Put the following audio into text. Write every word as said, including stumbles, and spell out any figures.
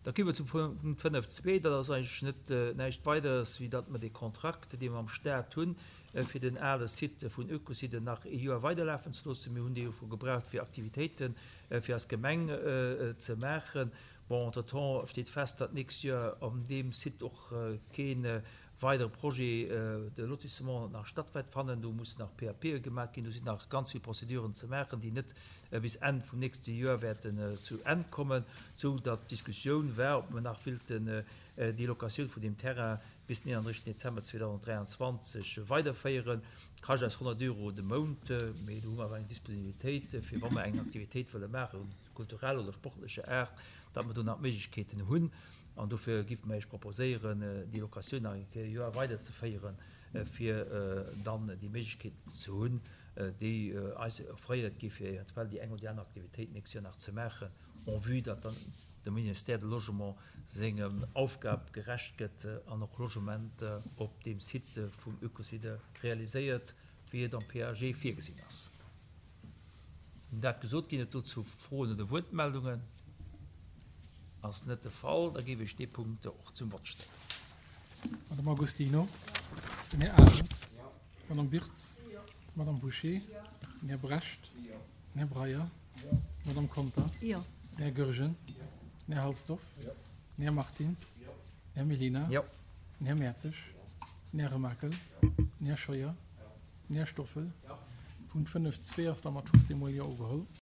Da komme mer zum Punkt fënnef zwee. Dat ass eigentlech net näischt Weideres, wéi datt mer dee Kontrakt, dee mer am Stat hunn, fir den ale Site vun Oekosite nach ee Joer weiderlafen ze loossen. Mir hunn dee jo scho gebraucht, fir Aktivitéite fir eis Gemeng ze maachen. Bon, entretemps steet fest, datt d'nächst Joer op deem Site och kee weidere Projet de lotissement nach statt wäert fannen. Do mussen nach P A P E gemaach ginn. Do sinn nach ganz vill Prozeduren ze maachen, déi net bis Enn vum nächste Joer wäerten zu Enn kommen, sou datt d'Diskussioun war, ob mer nach wilten déi Locatioun vun deem Terrain bis den eenandrëssegsten Dezember zweedausendräianzwanzeg weiderféieren. Kascht eis honnert Euro de Mount, mee do hu mer awer eng Disponibilitéit, fir wa mer eng Aktivitéit wëlle maachen, kulturell oder sportlecher Aart, datt mer do nach d'Méiglechkeeten hunn. An dofir géife mer Iech proposéieren, déi Locatioun nach eng Kéier e Joer weiderzeféieren, fir dann déi Méiglechkeeten ze hunn, déi eis offréiert gi fir eventuell déi eng oder déi aner Aktivitéit d'nächst Joer nach ze maachen, en vue datt dann de Ministère de Logement sengem Aufgab gerecht gëtt an och Logementer op deem Site vum Oekosite realiséiert, wéi et am P A G virgesinn ass. Dat gesot, ginn et dozou Froen oder Wuertmeldungen? Ass net de Fall, da géif ech dee Punkt och zum Vott stellen. Madame Agostino, den Här Arendt, Madame Birtz, Madame Bouché, den Här Brecht, den Här Breyer, Madame Conter, den Här Goergen, den Här Halsdorf, den Här Martins, den Här Mellina, den Här Mertzig, den Här Remakel, den Här Scheuer, den Här Stoffel. Punkt fënnef zwee ass da mat fofzéng mol Jo ugeholl.